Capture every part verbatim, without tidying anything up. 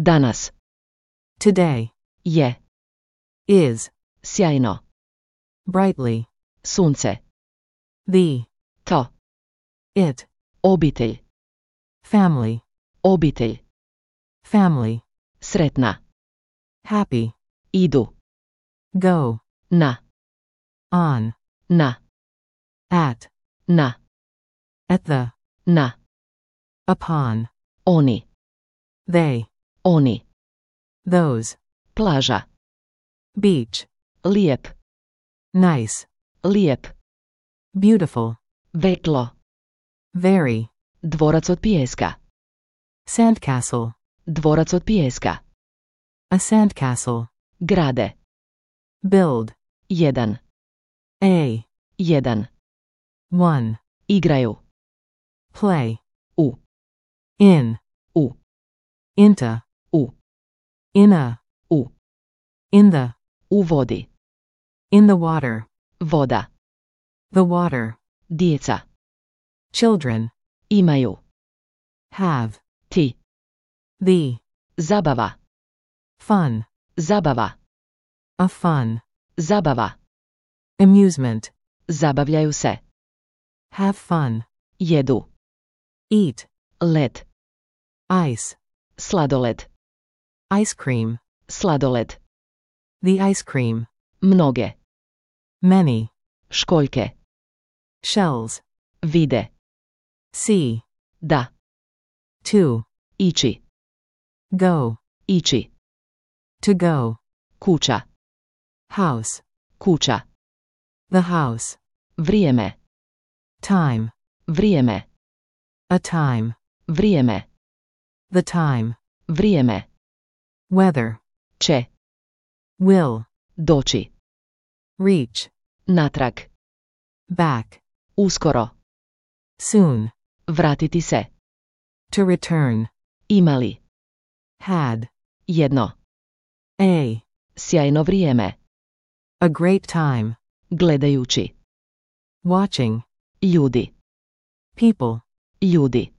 Danas. Today. Je. Is. Sjajno. Brightly. Sunce. The. To. It. Obitelj. Family. Obitelj. Family. Sretna. Happy. Idu. Go. Na. On. Na. At. Na. At the. Na. Upon. Oni. They. Oni. Those. Plaža. Beach. Lijep. Nice. Lijep. Beautiful. Vetlo. Very. Dvorac od pijeska. Sandcastle. Dvorac od pijeska. A sandcastle. Grade. Build. Jedan. A. Jedan. One. Igraju. Play. U. In. U. Into. U. In a. U. In the. U vodi. In the water. Voda. The water. Djeca. Children. Imaju. Have. Ti. The. Zabava. Fun. Zabava. A fun. Zabava. Amusement. Zabavljaju se. Have fun. Jedu. Eat. Led. Ice. Sladoled. Ice cream. Sladoled. The ice cream. Mnoge. Many. Školjke. Shells. Vide. See. Da. To. Ići. Go. Ići. To go. Kuća. House. Kuća. The house. Vrijeme. Time. Vrijeme. A time. Vrijeme. The time. Vrijeme. Weather. Će. Will. Doći. Reach. Natrag. Back. Uskoro. Soon. Vratiti se. To return. Imali. Had. Jedno. A. Sjajno vrijeme. A great time. Gledajući. Watching. Ljudi. People. Ljudi.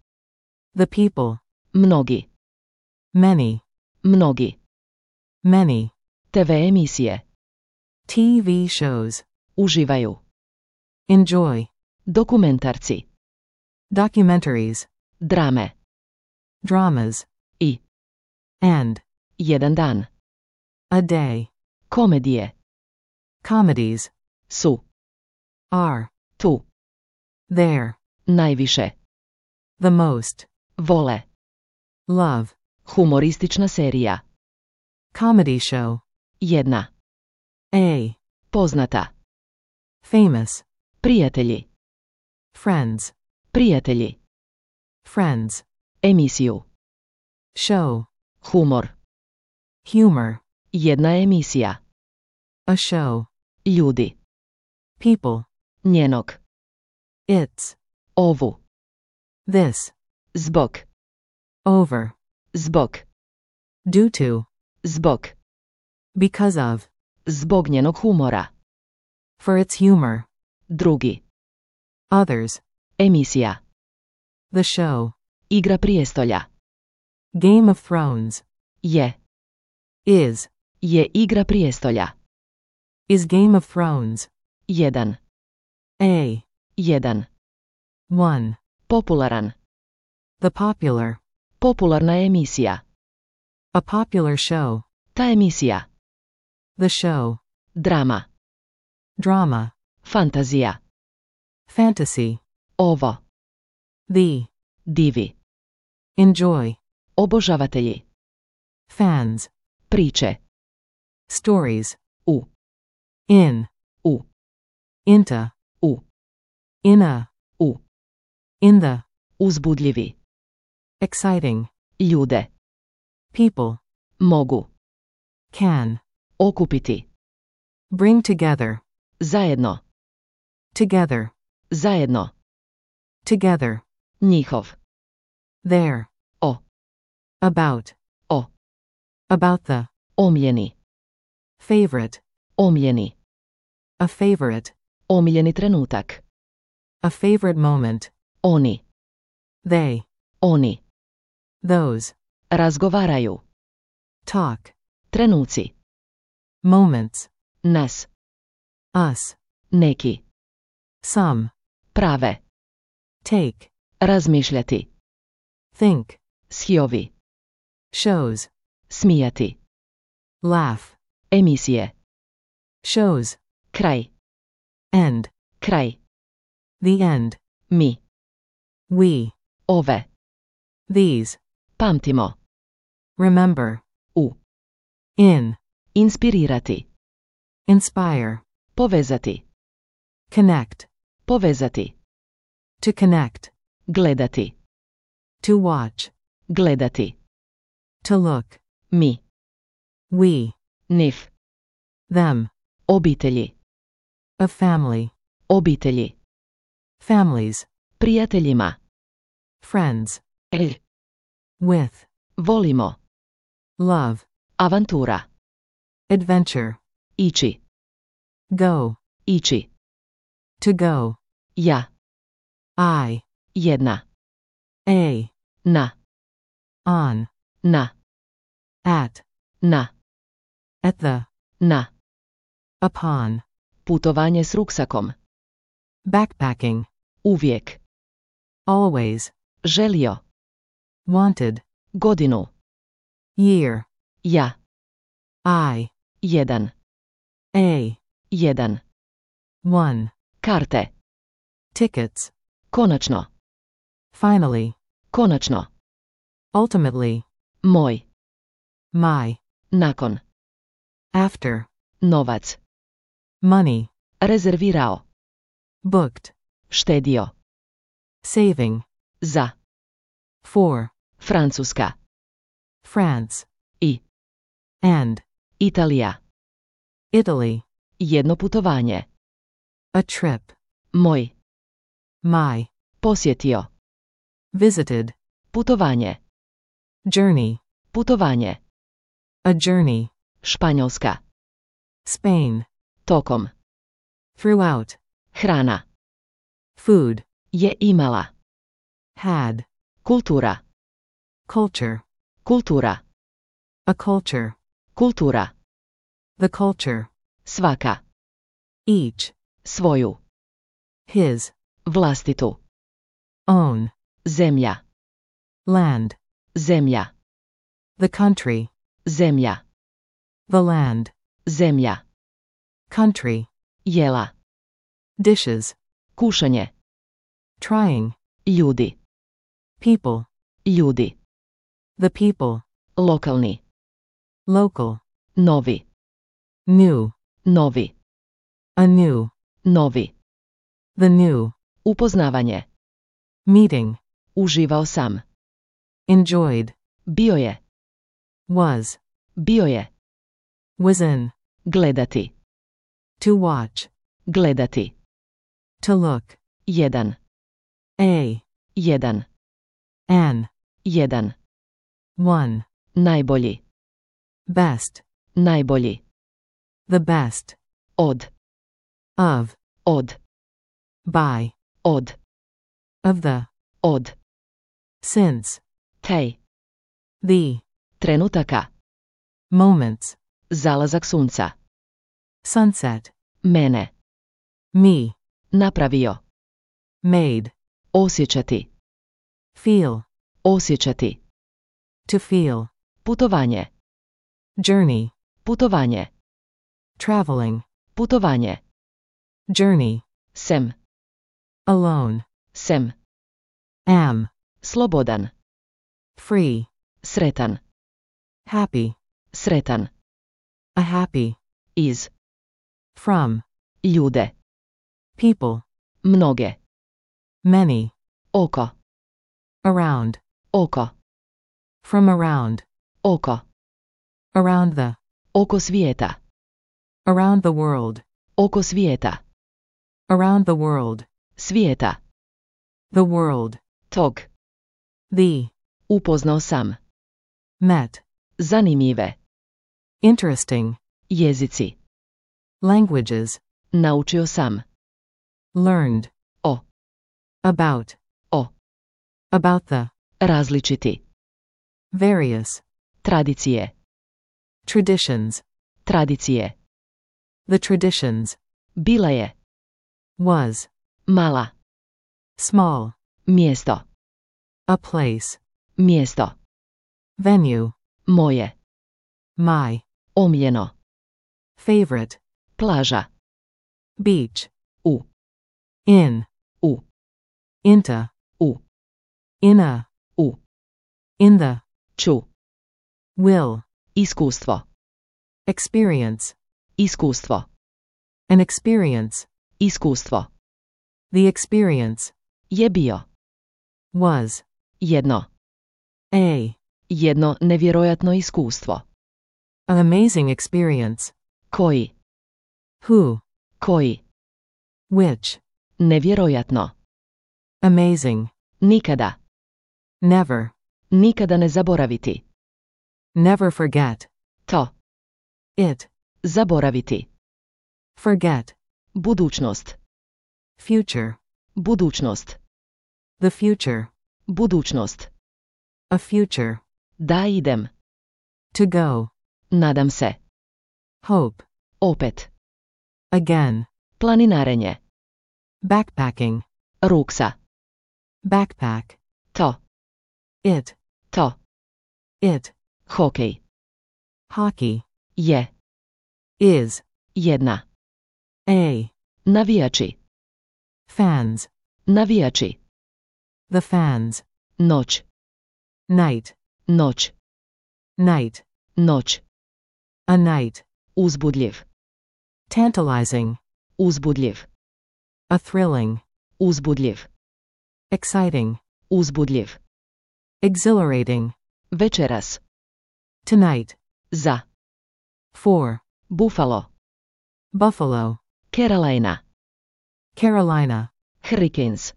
The people. Mnogi. Many. Mnogi. Many. T V emisije. T V shows. Uživaju. Enjoy. Dokumentarci. Documentaries. Drame. Dramas. I. And. Jedan dan. A day. Komedije. Comedies. Su. Are. Tu. There. Najviše. The most. Vole. Love. Humoristična serija. Comedy show. Jedna. A. Poznata. Famous. Prijatelji. Friends. Prijatelji. Friends. Emisiju. Show. Humor. Humor. Jedna emisija. A show. Ljudi. People. Njenog. It's. Ovu. This. Zbog. Over. Zbog. Due to. Zbog. Because of. Zbog njenog humora. For its humor. Drugi. Others. Emisija. The show. Igra prijestolja. Game of Thrones. Je. Is. Je igra prijestolja. Is Game of Thrones. Jedan. A. Jedan. One. Popularan. The popular. Popularna emisija. A popular show. Ta emisija. The show. Drama. Drama. Fantazija. Fantasy. Ovo. The. Divi. Enjoy. Obožavatelji. Fans. Priče. Stories. U. In. U. Into. U. In a. U. In the. Uzbudljivi. Exciting. Ljude. People. Mogu. Can. Okupiti. Bring together. Zajedno. Together. Zajedno. Together. Njihov. There. O. About. O. About the. Omljeni. Favorite. Omljeni. A favorite. Omiljeni trenutak. A favorite moment. Oni. They. Oni. Those. Razgovaraju. talk, Trenuci. moments, Nas. us, Neki. some, Prave. take, Razmišljati. think, Shiovi. shows, Smijati. laugh, Emisije. shows, Kraj. end, Kraj. the end, Mi. we, Ove. these, Pamtimo. remember, U. in, Inspirirati. inspire, Povezati. connect, Povezati. to connect, Gledati. to watch, Gledati. to look, Mi. we, Nif. them, Obitelji. a family, Obitelji. families, Prijateljima. friends, El. with, Volimo. love, Avantura. adventure, Ići. go, Ići. to go, Ja. I, Jedna. a, Na. on, Na. at, Na. at the, Na. upon, Putovanje s ruksakom. backpacking, Uvijek. always, Želio. wanted, Godinu. year, Ja. I, Jedan. a, Jedan. one, Karte. tickets, Konačno. finally, Konačno. ultimately, Moj. my, Nakon. after, Novac. money, Rezervirao. booked, Štedio. saving, Za. for, Francuska. France, I. and, Italija. Italy, Jedno putovanje. a trip, Moj. my, Posjetio. visited, Putovanje. journey, Putovanje. a journey, Španjolska. Spain, Tokom. throughout, Hrana. food, Je imala. had, Kultura. culture, Kultura. a culture, Kultura. the culture, Svaka. each, Svoju. his, Vlastitu. own, Zemlja. land, Zemlja. the country, Zemlja. the land, Zemlja. country, Jela. dishes, Kušanje. trying, Ljudi. people, Ljudi. the people, Lokalni. local, Novi. new, Novi. a new, Novi. the new, Upoznavanje. meeting, Uživao sam. enjoyed, Bio je. was, Bio je. was in, Gledati. to watch, Gledati. to look, Jedan. a, Jedan. an, Jedan. one, Najbolji. best, Najbolji. the best, Od. of, Od. by, Od. of the, Od. since, Tej. the, Trenutaka. moments, Zalazak sunca. sunset, Mene. me, Napravio. made, Osjećati. feel, Osjećati. to feel, Putovanje. journey, Putovanje. traveling, Putovanje. journey, Sem. alone, Sem. am, Slobodan. free, Sretan. happy, Sretan. a happy, Iz. from, Ljude. people, Mnoge. many, Oko. around, Oko. from around, Oko. around the, Oko svijeta. around the world, Oko svijeta. around the world, Svijeta. the world, Tog. the, Upoznao sam. met, Zanimljive. interesting, Jezici. languages, Naučio sam. learned, O. about, O. about the, Različiti. various, Tradicije. Traditions. Tradicije. The traditions. Bila je. Was. Mala. Small. Mjesto. A place. Mjesto. Venue. Moje. My. Omiljeno. Favorite. Plaža. Beach. U. In. U. Into. U. In a. U. In the. Ču. Will. Iskustvo. Experience. Iskustvo. An experience. Iskustvo. The experience. Je bio. Was. Jedno. A. Jedno nevjerojatno iskustvo. An amazing experience. Koji. Who. Koji. Which. Nevjerojatno. Amazing. Nikada. Never. Nikada ne zaboraviti. Never forget. To. It. Zaboraviti. Forget. Budućnost. Future. Budućnost. The future. Budućnost. A future. Da idem. To go. Nadam se. Hope. Opet. Again. Planinarenje. Backpacking. Ruksa. Backpack. To. It. To. It. Hokej. Hockey. Je. Is. Jedna. A. Navijači. Fans. Navijači. The fans. Noć. Night. Noć. Night. Noć. A night. Uzbudljiv. Tantalizing. Uzbudljiv. A thrilling. Uzbudljiv. Exciting. Uzbudljiv. Exhilarating. Večeras. Tonight. Za. For. Buffalo. Buffalo. Carolina. Carolina. Hurricanes.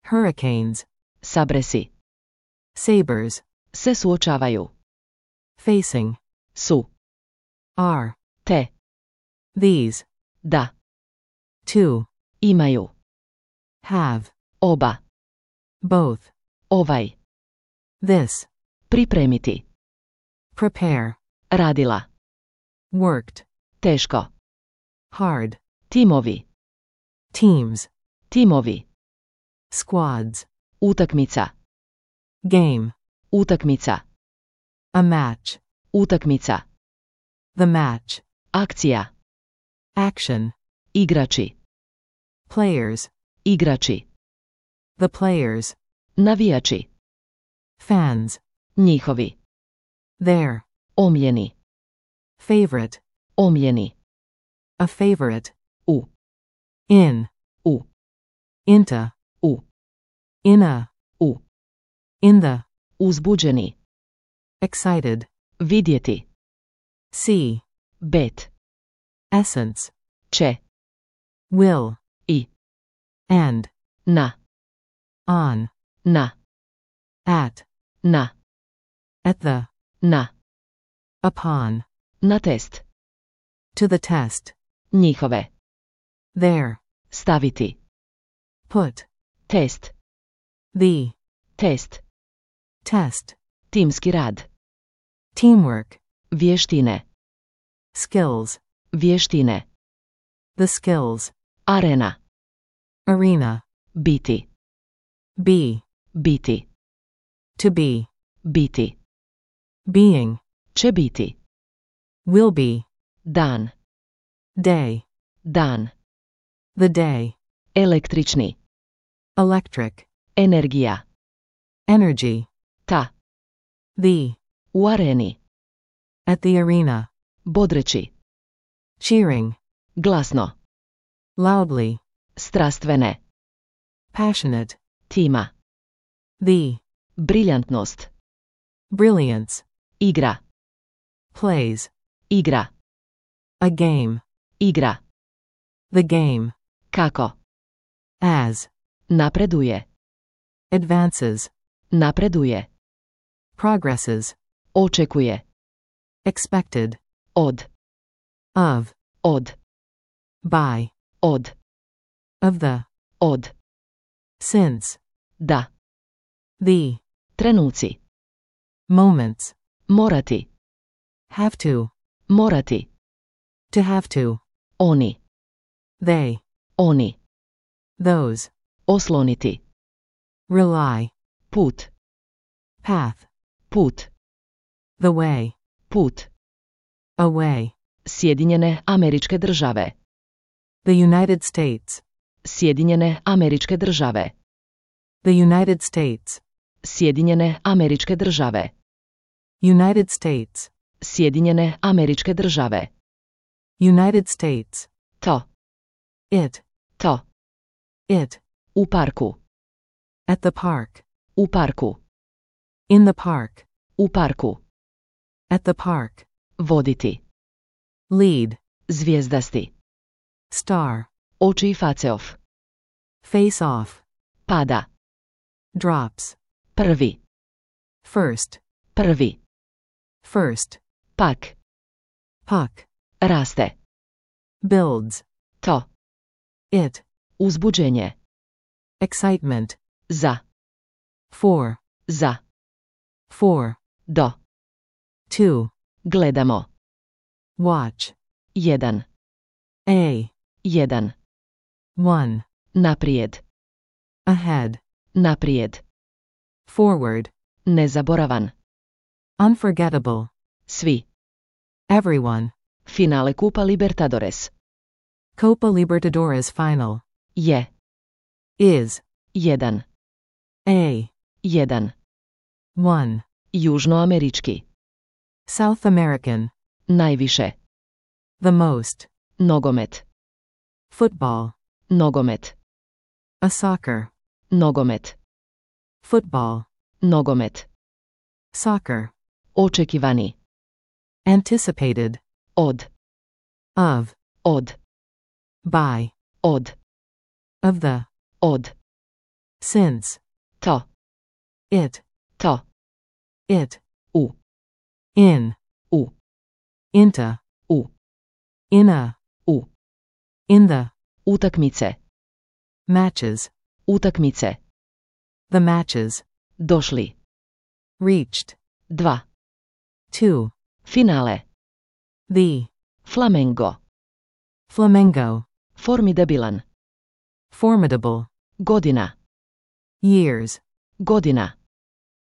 Hurricanes. Sabresi. Sabres. Se suočavaju. Facing. Su. Are. Te. These. Da. Two. Imaju. Have. Oba. Both. Ovaj. This. Pripremiti. Prepare. Radila. Worked. Teško. Hard. Timovi. Teams. Timovi. Squads. Utakmica. Game. Utakmica. A match. Utakmica. The match. Akcija. Action. Igrači. Players. Igrači. The players. Navijači. Fans. Njihovi. Their. Omljeni. Favorite. Omljeni. A favorite. U. In. U. Into. U. In a. U. In the. Uzbuđeni. Excited. Vidjeti. See. Bet. Essence. Će. Will. I. And. Na. On. Na. At. Na. At the. Na. Upon. Na test. To the test. Njihove. There. Staviti. Put. Test. The. Test. Test. Timski rad. Teamwork. Vještine. Skills. Vještine. The skills. Arena. Arena. Biti. Be. Biti. To be. Biti. Being. Će biti. Will be. Dan. Day. Dan. The day. Električni. Electric. Energija. Energy. Ta. The. U areni. At the arena. Bodreći. Cheering. Glasno. Loudly. Strastvene. Passionate. Tima. The. Briljantnost. Brilliance. Igra. Plays. Igra. A game. Igra. The game. Kako. As. Napreduje. Advances. Napreduje. Progresses. Očekuje. Expected. Od. Of. Od. By. Od. Of the. Od. Since. Da. The. Trenuci. Moments. Morati. Have to. Morati. To have to. Oni. They. Oni. Those. Osloniti. Rely. Put. Path. Put. The way. Put. Away. Sjedinjene Američke Države. The United States. Sjedinjene Američke Države. The United States. Sjedinjene Američke Države. United States. Sjedinjene Američke Države. United States. To. It. To. It. U parku. At the park. U parku. In the park. U parku. At the park. Voditi. Lead. Zvijezdasti. Star. Oči i faceof. Face off. Pada. Drops. Prvi. First. Prvi. First. Pak. Puck. Raste. Builds. To. It. Uzbuđenje. Excitement. Za. For. Za. For. Do. Two. Gledamo. Watch. Jedan. A. Jedan. One. Naprijed. Ahead. Naprijed. Forward. Nezaboravan. Unforgettable. Svi. Everyone. Finale Kupa Libertadores. Copa Libertadores final. Je. Is. Jedan. A. Jedan. One. Južnoamerički. South American. Najviše. The most. Nogomet. Football. Nogomet. A soccer. Nogomet. Football. Nogomet. Soccer. Očekivani. Anticipated. Od. Of. Od. By. Od. Of the. Od. Since. To. It. To. It. U. In. U. Into. U. In a. U. In the. Utakmice. Matches. Utakmice. The matches. Došli. Reached. Dva. Two. Finale. The. Flamengo. Flamengo. Formidabilan. Formidable. Godina. Years. Godina.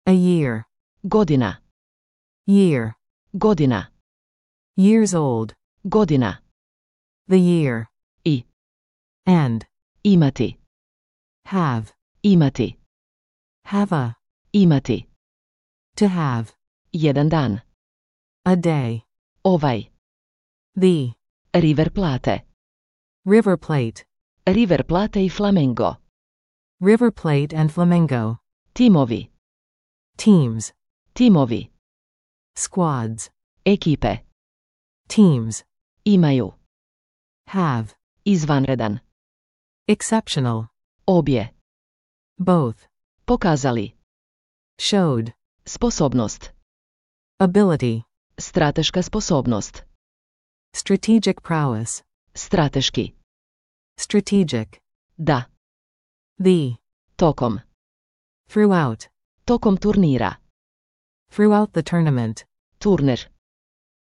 A year. Godina. Year. Godina. Years old. Godina. The year. I. And. Imati. Have. Imati. Have a. Imati. To have. Jedan dan. A day. Ovaj. The. River Plate. River Plate. River Plate i Flamengo. River Plate and Flamengo. Timovi. Teams. Timovi. Squads. Ekipe. Teams. Imaju. Have. Izvanredan. Exceptional. Obje. Both. Pokazali. Showed. Sposobnost. Ability. Strateška sposobnost. Strategic prowess. Strateški. Strategic. Da. The. Tokom. Throughout. Tokom turnira. Throughout the tournament. Turnir.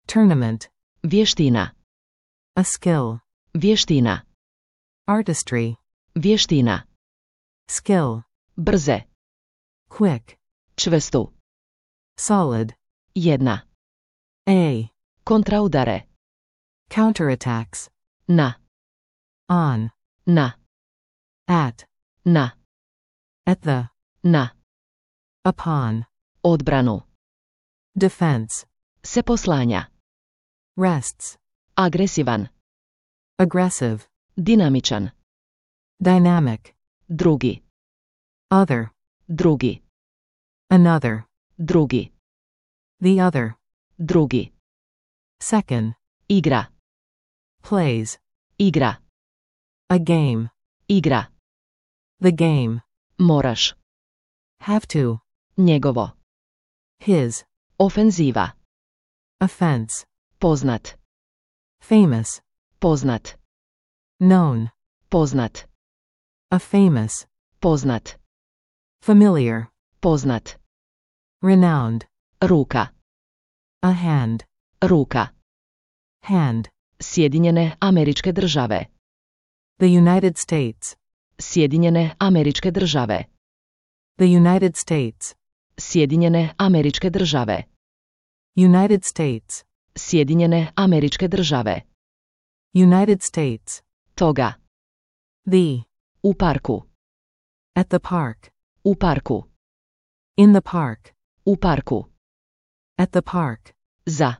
Tournament. Vještina. A skill. Vještina. Artistry. Vještina. Skill. Brze. Quick. Čvrstu. Solid. Jedna. A. Kontraudare. Counterattacks. Na. On. Na. At. Na. At the. Na. Upon. Odbranu. Defense. Se poslanja. Rests. Agresivan. Aggressive. Dinamičan. Dynamic. Drugi. Other. Drugi. Another. Drugi. The other. Drugi. Second. Igra. Plays. Igra. A game. Igra. The game. Moraš. Have to. Njegovo. His. Ofenziva. Offense. Poznat. Famous. Poznat. Known. Poznat. A famous. Poznat. Familiar. Poznat. Renowned. Ruka. A hand. ruka, hand, Sjedinjene Američke Države, the United States, Sjedinjene Američke Države, the United States, Sjedinjene Američke Države, United States, Sjedinjene Američke Države, United States, toga, the, u parku, at the park, u parku, in the park, u parku, at the park, za,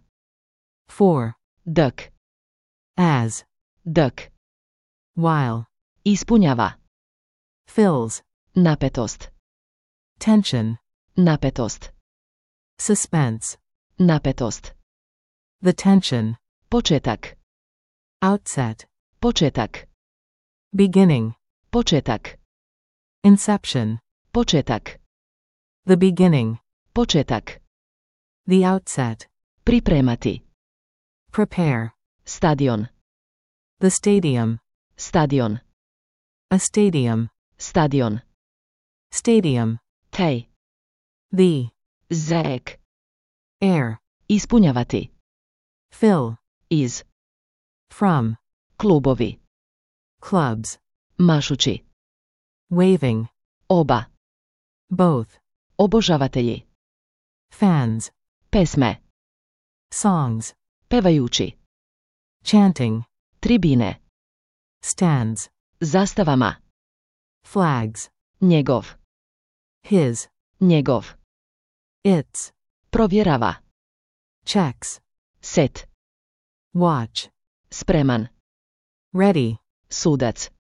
for, dok, as, dok, while, ispunjava, fills, napetost, tension, napetost, suspense, napetost, the tension, početak, outset, početak, beginning, početak, inception, početak, the beginning, početak, the outset, pripremati, prepare, stadion, the stadium, stadion, a stadium, stadion, stadium, tej, the, zek, air, ispunjavati, fill, iz, from, klubovi, clubs, mašući, waving, oba, both, obožavatelji, fans, pesme, songs, pevajući, chanting, tribine, stands, zastavama, flags, njegov, his, njegov, its, provjerava, checks, set, watch, spreman, ready, sudac,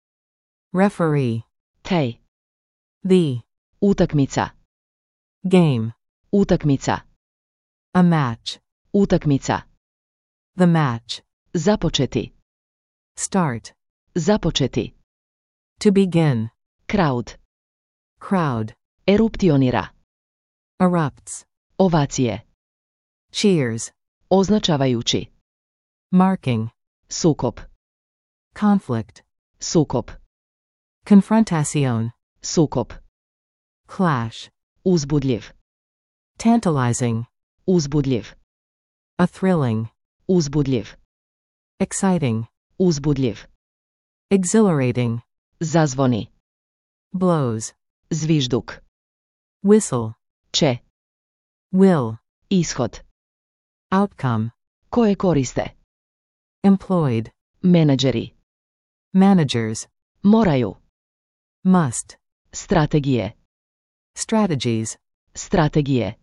referee, tej, the, utakmica, game, utakmica, a match, utakmica, the match, započeti, start, započeti, to begin, crowd, crowd, eruptionira, erupts, ovacije, cheers, označavajući, marking, sukob, conflict, sukob, confrontation, sukob, clash, uzbudljiv, tantalizing, uzbudljiv, a thrilling, uzbudljiv, exciting, uzbudljiv, exhilarating, zazvoni, blows, zvižduk, whistle, će, will, ishod, outcome, koje koriste, employed, menadžeri, managers, moraju, must, strategije, strategies, strategije,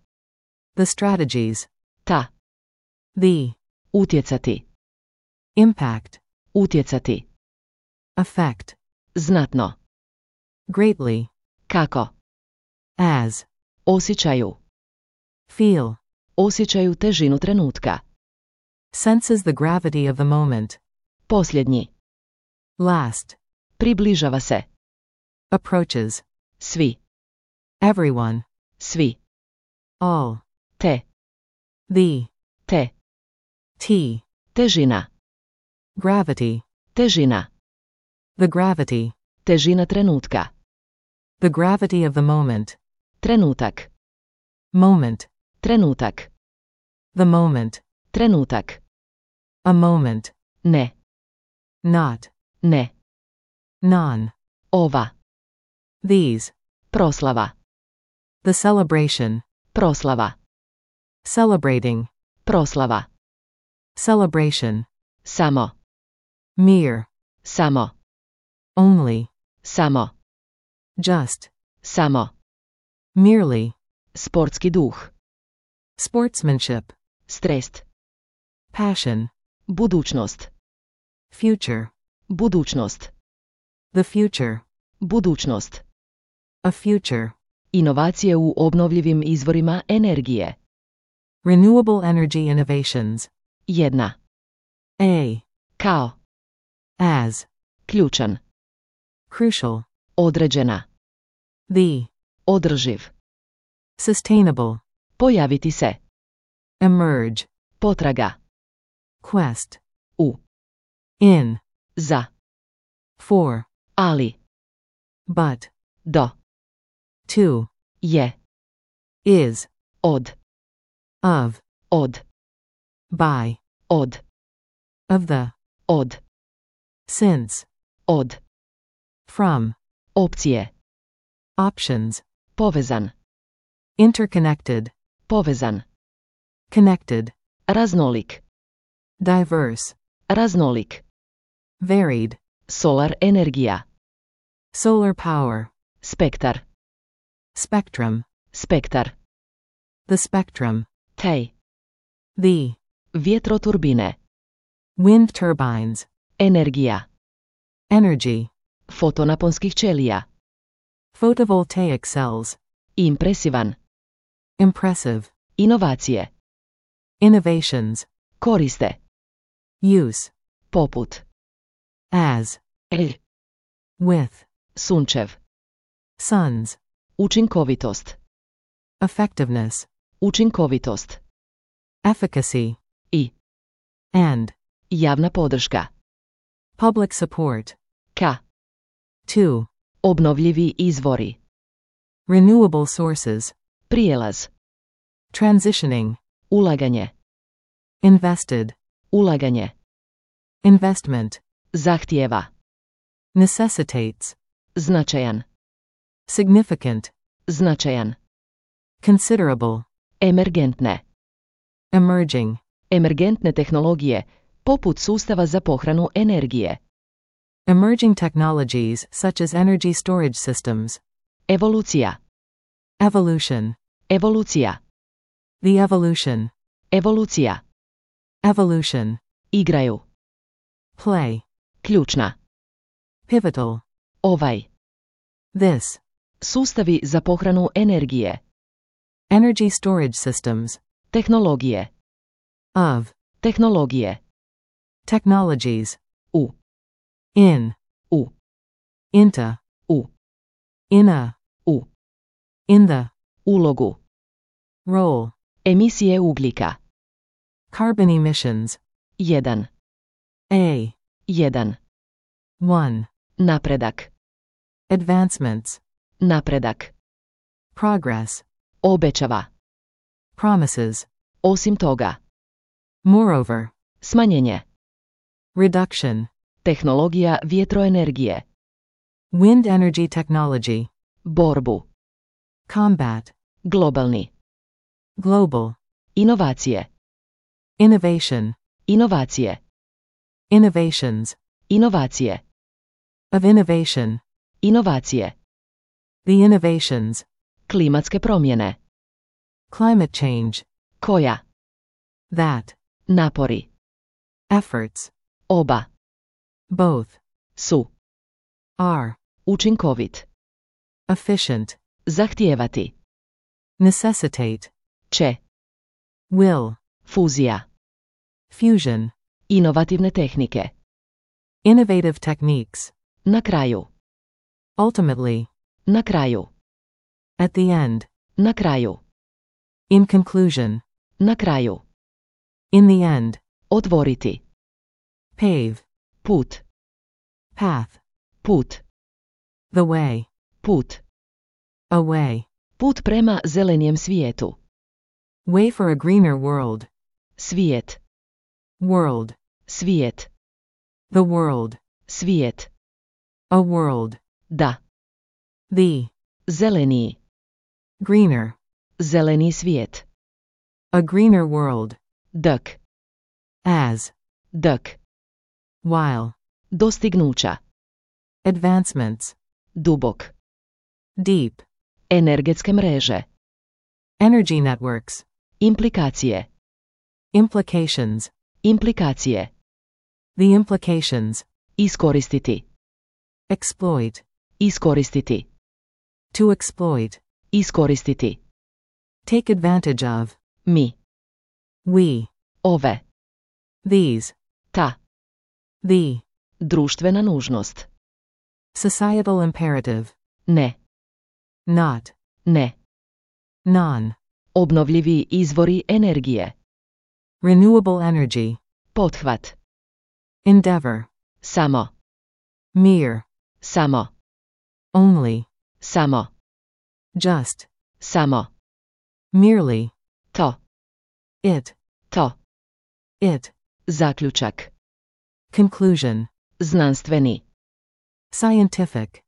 the strategies, ta, the, utjecati, impact, utjecati, affect, znatno, greatly, kako, as, osjećaju, feel, osjećaju težinu trenutka, senses the gravity of the moment, posljednji, last, približava se, approaches, svi, everyone, svi, all, te, the, te, t, težina, gravity, težina, the gravity, težina trenutka, the gravity of the moment, trenutak, moment, trenutak, the moment, trenutak, a moment, ne, not, ne, non, ova, these, proslava, the celebration, proslava, celebrating, proslava, celebration, samo, mere, samo, only, samo, just, samo, merely, sportski duh, sportsmanship, strest, passion, budućnost, future, budućnost, the future, budućnost, a future, inovacije u obnovljivim izvorima energije, renewable energy innovations, jedna, a, kao, as, ključan, crucial, određena, the, održiv, sustainable, pojaviti se, emerge, potraga, quest, u, in, za, for, ali, but, do, to, je, is, od, of, od, by, Od. of the, Od. since, Od. from, Opcije. options, Povezan. interconnected, Povezan. connected, Raznolik. diverse, Raznolik. varied, Solar energija. solar power, Spektar. spectrum, Spektar. the spectrum, Tej. the, Vjetroturbine. wind turbines, Energija. energy, Fotonaponskih ćelija. photovoltaic cells, Impresivan. impressive, Inovacije. innovations, Koriste. use, Poput. as, L. with, Sunčev. suns, Učinkovitost. effectiveness, Učinkovitost. efficacy, I. and, Javna podrška. public support, K. to, Obnovljivi izvori. renewable sources, Prijelaz. transitioning, Ulaganje. invested, Ulaganje. investment, Zahtijeva. necessitates, Značajan. significant, Značajan. considerable, Emergentne. emerging, Emergentne tehnologije, poput sustava za pohranu energije. emerging technologies such as energy storage systems, Evolucija. evolution, Evolucija. the evolution, Evolucija. evolution, Igraju. play, Ključna. pivotal, Ovaj. this, Sustavi za pohranu energije. energy storage systems, Tehnologije. of, Tehnologije. technologies, U. in, U. into, U. in a, U. in the, Ulogu. role, Emisije ugljika. carbon emissions, jedan. a, jedan. one, Napredak. advancements, Napredak. progress, Obećava. promises, Osim toga. moreover, Smanjenje. reduction, Tehnologija vjetroenergije. wind energy technology, Borbu. combat, Globalni. global, Inovacije. innovation, Inovacije. innovations, Inovacije. of innovation, Inovacije. the innovations, Klimatske promjene. climate change, Koja. that, Napori. efforts, Oba. both, Su. are, Učinkovit. efficient, Zahtijevati. necessitate, Će. will, Fuzija. fusion, Inovativne tehnike. innovative techniques, Na kraju. ultimately, Na kraju. at the end, Na kraju. in conclusion, Na kraju. in the end, Otvoriti. pave, Put. path, Put. the way, Put. away, Put prema zelenijem svijetu. way for a greener world, Svijet. world, Svijet. the world, Svijet. a world, Da. the, Zeleniji. greener, Zeleni svijet. a greener world, Dk. as, Dk. while, Dostignuća. advancements, Dubok. deep, Energetske mreže. energy networks, Implikacije. implications, Implikacije. the implications, Iskoristiti. exploit, Iskoristiti. to exploit, Iskoristiti. take advantage of, Mi. we, Ove. these, Ta. the, Društvena nužnost. societal imperative, Ne. not, Ne. non, Obnovljivi izvori energije. renewable energy, Pothvat. endeavor, Samo. mere, Samo. only, Samo. just, Samo. merely, To. it, To. It. Zaključak. Conclusion. Znanstveni. Scientific.